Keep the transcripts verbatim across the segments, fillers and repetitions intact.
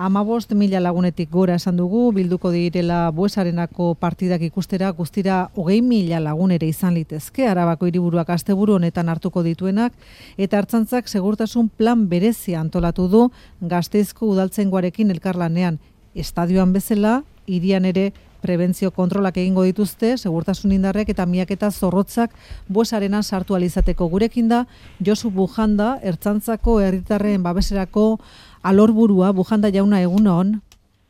Hamabost mila lagunetik gora esan dugu, bilduko direla Buesarenako partidak ikustera, guztira hogei mila lagun ere izan litezke, Arabako hiriburuak asteburu honetan hartuko dituenak, eta Ertzaintzak segurtasun plan berezia antolatu du Gasteizko udaltzaingoarekin elkarlanean. Estadioan bezala, hirian ere prebentzio kontrolak egingo dituzte, segurtasun indarrek eta miaketa zorrotzak Buesarenan sartu alizateko. Gurekin da, Josu Bujanda, Ertzaintzako herritarren babeserako alorburua. Bujanda jauna, egunon.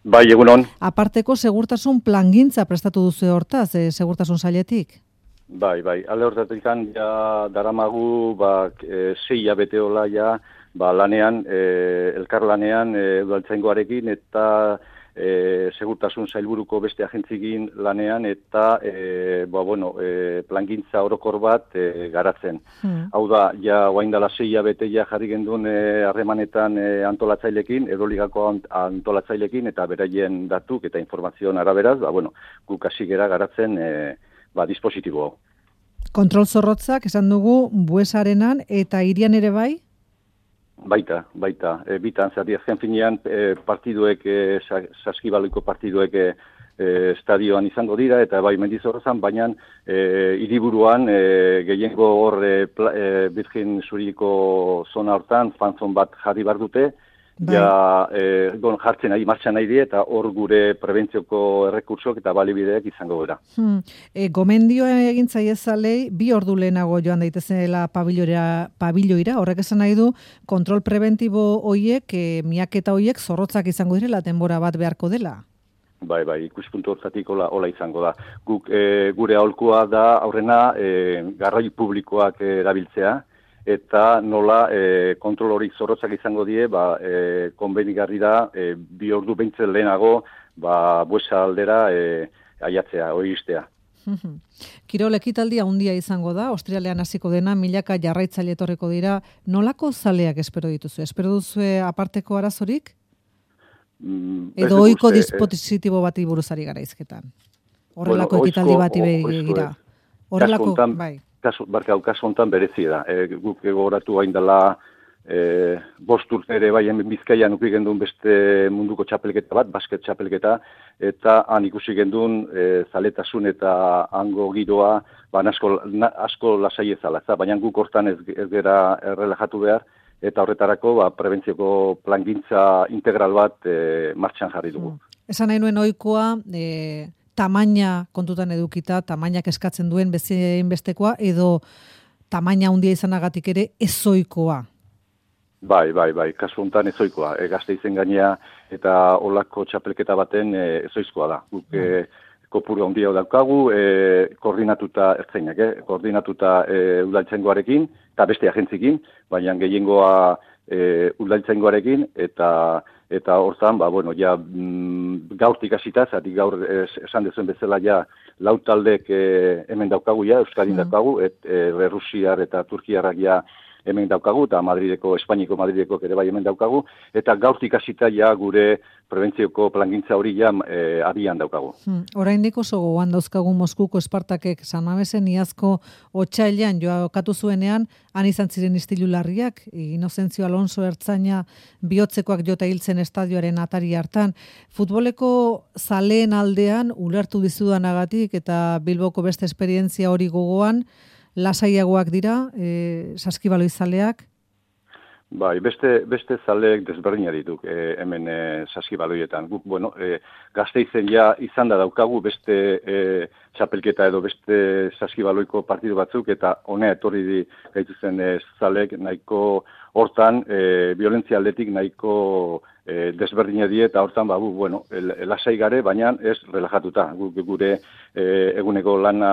Bai, egunon. Aparteko segurtasun plangintza prestatu duzu hortaz, e, segurtasun sailetik? Bai, bai, ale hortatik ja daramagu, ba, e, sei abeteola ja, ba, lanean, e, elkarlanean, e, udaltzaingoarekin eta E, segurtasun sailburuko beste agentzikin lanean eta e, ba, bueno, e, plangintza orokor bat e, garatzen. Hmm. Hau da, ja oaindala sei abete ja jarri gendun harremanetan e, antolatzailekin, Euroligako antolatzailekin eta beraien datuk eta informazioan araberaz, ba, bueno, guk hasi gera garatzen e, ba, dispositibo hau. Kontrol zorrotzak esan dugu Buesarenan eta hirian ere bai? Baita, baita. E, bitan, zati azken finean e, partiduek, e, saskibaloiko partiduek e, estadioan izango dira, eta bai Mendizorrozan, baina e, hiriburuan e, gehiengo hor e, e, Birgin Zuriko zona hortan, fanzon bat jarri bar dute, bai. Ja, e, bon, jartzen nahi, martxan nahi die, eta hor gure prebentzioko errekursok eta balibideak izango gara. Hmm. E, gomendioa egin zaiezalei, bi ordu lehenago joan daitezela pabiloira, horrek esan nahi du, kontrol preventibo hoiek, e, miaketa hoiek zorrotzak izango direla, denbora bat beharko dela. Bai, bai, ikuspuntu hortatik hola, hola izango da. Guk, e, gure aholkua da, aurrena, e, garrai publikoak erabiltzea, eta nola e, kontrol hori zorrotzak izango die, ba, e, konbenigarri da, e, bi ordu behintzen lehenago, ba, Buesa aldera e, aiatzea, hori iztea. Kirol ekitaldia handia izango da, Australian hasiko dena, milaka jarraitzaile etorriko dira, nolako zaleak espero dituzu? Espero duzu aparteko arazorik? Mm, Edo ohiko dispositibo bati buruzari gara izketan? Horrelako bueno, ekitaldi bati begira. Horrelako, bai. Kasu, barka, kasu honetan berezi da. E, guk egoratu hain dela e, bost urte ere bai hemen Bizkaian uki gendun beste munduko txapelketa bat, basket txapelketa, eta han ikusi gendun e, zaletasun eta hango giroa ba, asko, na, asko lasai ezala. Baina guk hortan ez, ez gera errelajatu behar, eta horretarako ba, prebentzioko plangintza integral bat e, martxan jarri dugu. Mm. Esan nahi nuen ohikoa, e... tamaina kontutan edukita, tamainak eskatzen duen bezein bestekoa, edo tamaina handia izanagatik ere ezoikoa? Bai, bai, bai, kasu honetan ezoikoa. E, Gasteizen gainea eta olako txapelketa baten e, ezoizkoa da. Guk e, kopuru handia daukagu, e, koordinatuta ertzainak, eh? koordinatuta e, udaltzaingoarekin, eta beste agentzikin, baina gehiengoa e, udaltzaingoarekin, eta Eta hortan, ba, bueno, ja, mm, gaurtik hasita, zatik gaur es, esan dezuen bezala ja, lau taldek e, hemen daukagu ja, Euskadin mm. daukagu, et, e, Rusiar eta Turkiarrak ja hemen daukagu, eta Madrideko, Espainiko Madrideko ere bai hemen daukagu, eta gaurtik hasita ja gure prebentzioko plangintza hori ja e, abian daukagu. Hmm. Oraindik oso gogoan dauzkagu Moskuko Espartakek San Mamesen iazko otsailean jokatu zuenean, han izan ziren istilu larriak, Inozentzio Alonso ertzaina bihotzekoak jota hiltzen estadioaren atari hartan. Futboleko zaleen aldean ulertu dizudanagatik eta Bilboko beste esperientzia hori gogoan, lasaiagoak dira, e, saskibaloi zaleak? Bai, beste, beste zaleek desberdina dituk e, hemen e, saskibaloietan. Guk, bueno, e, Gasteizen ja izan da daukagu beste e, txapelketa edo beste saskibaloiko partidu batzuk, eta honea etorri di gaituzen e, zaleek nahiko hortan, e, violentzia aldetik nahiko e, desberdina die, eta hortan, ba, bu, bueno, lasai gare, baina ez relajatuta. Guk gure e, eguneko lana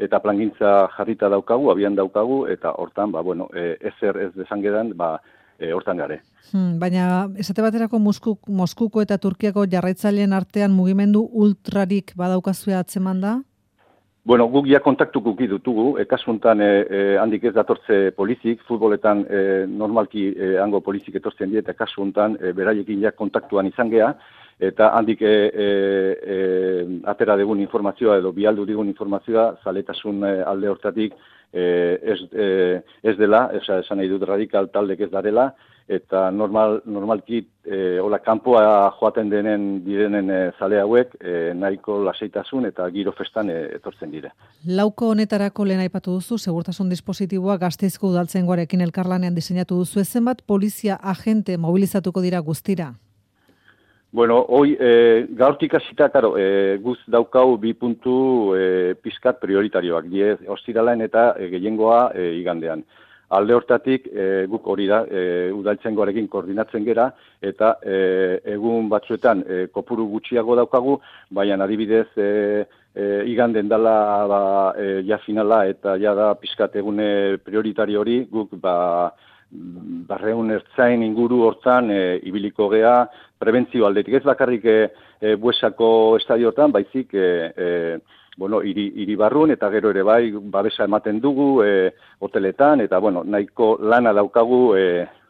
eta plangintza jarrita daukagu, abian daukagu, eta hortan, ba, bueno, e, ezer ez desangedan, ba, e, hortan gare. Hmm, baina, esate baterako Moskuk, Moskuko eta Turkiako jarraitzaileen artean mugimendu ultrarik badaukazue atzeman da? Bueno, guk ja kontaktuk uki dutugu, e, kasuntan e, e, handik ez datortze polizik, futboletan e, normalki e, hango polizik etortzen die, eta kasuntan e, beraiekin ja kontaktuan izan gea, eta handik e, e, e, atera dugun informazioa edo bialdu dugun informazioa, zaletasun e, alde hortatik e, ez, e, ez dela, esan nahi dut radikal taldek ez darela, eta normal, normalki e, hola kanpoa joaten denen direnen e, zale hauek e, nahiko lasaitasun eta giro festan e, etortzen dire. Lauko honetarako lehen aipatu duzu, segurtasun dispositiboa Gasteizko udaltzaingoarekin elkarlanean diseinatu duzu, zenbat polizia agente mobilizatuko dira guztira? Bueno, hoy e, gaurtik hasita, claro, e, guz daukau bi puntu e, pizkat prioritarioak, die ostiralaen eta e, gehiengoa e, igandean. Alde hortatik, e, guk hori da, e, udaltzaingoarekin koordinatzen gera, eta e, egun batzuetan e, kopuru gutxiago daukagu, baina adibidez e, e, iganden dela ba, e, ja finala eta ja da pizkat egune prioritario hori, guk ba, barreun ertzain inguru hortan e, ibiliko gea prebentzio aldetik. Ez bakarrik e, e, Buesako estadio hortan, baizik e, e, bueno, iri, iri barrun eta gero ere bai babesa ematen dugu e, hoteletan eta bueno, nahiko lana daukagu e,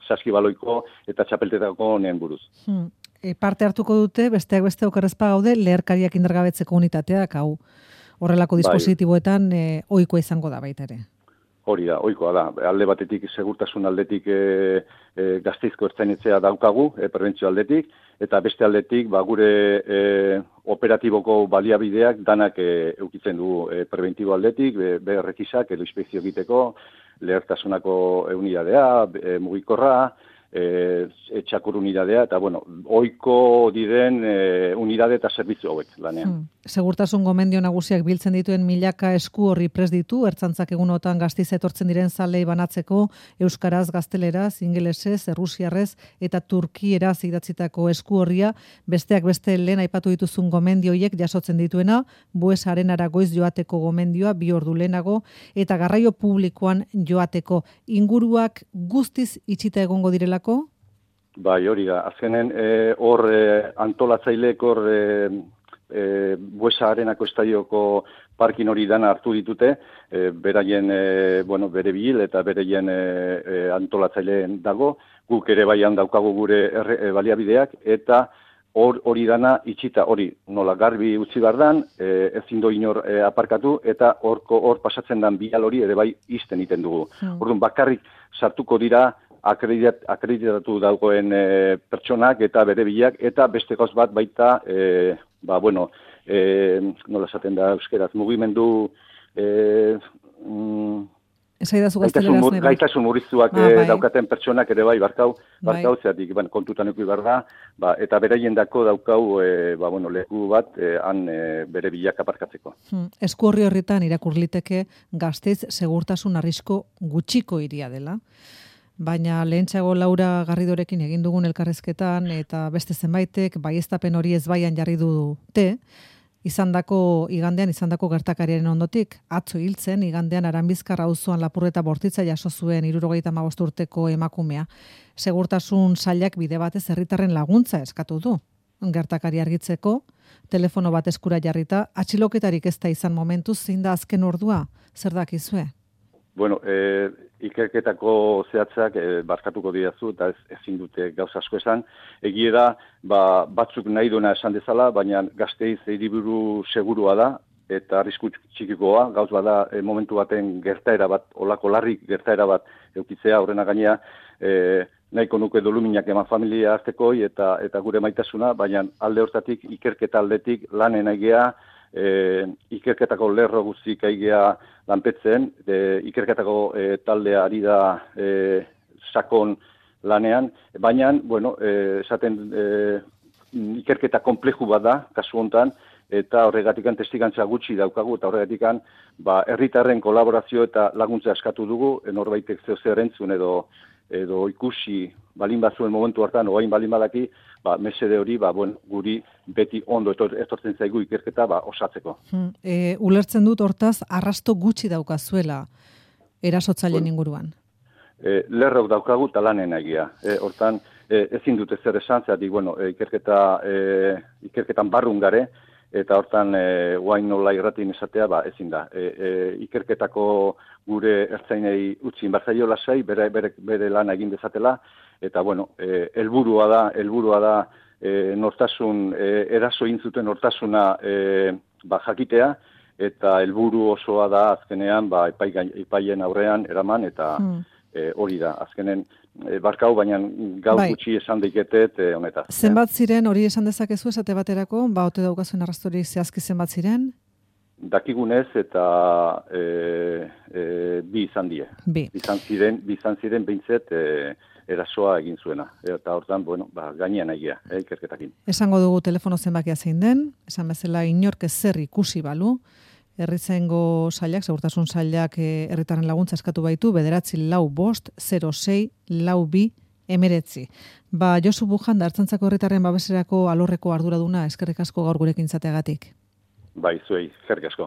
saskibaloiko eta txapeltetako nien buruz. Hmm. E, parte hartuko dute, besteak beste okerrezpa gaude, leherkariak indargabetzeko unitateak, hau horrelako dispositiboetan e, ohikoa izango da baita ere. Hori da, ohikoa da. Alde batetik, segurtasun aldetik e, e, Gasteizko ertzainitzea daukagu, e, prebentzio aldetik, eta beste aldetik, ba, gure e, operatiboko baliabideak danak e, eukitzen dugu e, preventibo aldetik, be, berrekisak edo inspekzio egiteko, lehertasunako unidadea, e, mugikorra, e, etxakur unidadea, eta bueno, ohiko diren e, unidade eta zerbitzu hauek lanean. Hmm. Segurtasun gomendio nagusiak biltzen dituen milaka esku horri prest ditu, ertzantzak egunotan Gasteiz etortzen diren zalei banatzeko euskaraz, gazteleraz, ingelesez, errusiarrez eta turkieraz idatzitako esku horria, besteak beste lehen aipatu dituzun gomendioiek jasotzen dituena, Bues Arenara goiz joateko gomendioa bi ordu lehenago eta garraio publikoan joateko. Inguruak guztiz itxita egongo direlako? Bai, hori da. Azkenen hor e, antolatzaileek hor e, e, Buesa Arenako estadioko parkin hori dana hartu ditute, e, beraien, e, bueno, bere bil eta bereien e, e, antolatzaileen dago, guk ere baian daukagu gure erre, e, baliabideak, eta hor hori dana itxita, hori nola garbi utzi behar dan, e, ezin do inor e, aparkatu, eta horko hor pasatzen dan bial hori ere bai izten iten dugu. Hmm. Orduan bakarrik sartuko dira Akreditat, akreditatu dagoen e, pertsonak eta bere bilak, eta beste gauz bat baita, e, ba, bueno, e, nola esaten da euskeraz, mugimendu e, mm, gaitasun, mur, gaitasun murriztuak ah, bai. daukaten pertsonak ere bai, barkau, barkau bai. Zeatik, ban, kontutan eki behar da, ba, eta beraien dako daukau, e, ba, bueno, leku bat, e, han e, bere bilak aparkatzeko. Hmm. Esku horri horretan irakurliteke Gasteiz segurtasun arrisko gutxiko iria dela. Baina lehentxeago Laura Garridorekin egin dugun elkarrezketan eta beste zenbaitek baieztapen hori ezbaian jarri dute, izandako igandean izandako gertakariaren ondotik, atzo hiltzen igandean Aranbizkar auzoan lapurreta bortitza jaso zuen hirurogeita hamabost urteko emakumea. Segurtasun sailak bide batez herritarren laguntza eskatu du. Gertakari argitzeko, telefono bat eskura jarrita, atxiloketarik ez da izan momentuz, zein da azken ordua, zer dakizue? Bueno, eh, ikerketako zehatzak e, barkatuko diazu eta ez, ezin dute gauza asko esan. Egie da, ba, batzuk nahi duena esan dezala, baina Gasteiz hiriburu segurua da eta arrisku txikikoa, gauz bada e, momentu baten gertaera bat, olako larrik gertaera bat eukitzea, horrena gainea, e, nahiko nuke doluminak eman familia hartekoi eta, eta gure maitasuna, baina alde hortatik ikerketa aldetik lanen aigea, E, ikerketako lerro guztik aigea lanpetzen, e, ikerketako e, taldea ari da e, sakon lanean, baina, bueno, e, esaten e, ikerketa kompleju bat da, kasu hontan, eta horregatikan testigantza gutxi daukagu, eta horregatikan ba, herritarren kolaborazio eta laguntza eskatu dugu, norbaitek zeo zer entzun edo, edo ikusi balin bazuen momentu hartan, oain balin badaki, ba, mesede hori, ba, bueno, guri beti ondo etortzen zaigu ikerketa ba, osatzeko. Hmm. E, ulertzen dut hortaz, arrasto gutxi daukazuela erasotzaileen bueno, inguruan. E, lerrok daukagu talanen egia. E, hortan, e, ezin dute zer esan, zeratik, bueno, e, ikerketa, e, ikerketan barrun gare, eta hortan, e, guain nola irratin esatea, ba, ezin da. E, e, ikerketako gure ertzainei utzi inbartzaio lasai, bere, bere, bere lana egin dezatela, eta, bueno, e, helburua da, helburua da, e, nortasun, e, eraso intzuten nortasuna e, ba, jakitea, eta helburu osoa da azkenean ba, epai, epaien aurrean eraman, eta hmm. e, hori da, azkenen e, barkau, baina gau bai. Gutxi esan diketet e, honetaz. Zenbat ziren, hori esan dezakezu esate baterako, ba, ote daukazuen arrastorik zehazki zenbat ziren? Dakigunez eta e, e, bi izan die. Bi. Bizan ziren, bizan ziren behintzet e, erasoa egin zuena. Eta hortan, bueno, ba, gainean egia, eh, ikerketakin. Esango dugu telefono zenbakia zein den, esan bezala inork ezer ikusi balu, herrizaingo sailak, segurtasun sailak herritarren laguntza eskatu baitu, bederatzi lau bost, zero sei, lau bi, emeretzi. Ba, Josu Bujanda, Ertzaintzako herritarren babeserako alorreko arduraduna, eskerrik asko gaur gurekin izateagatik. Bai, zuei, eskerrik asko.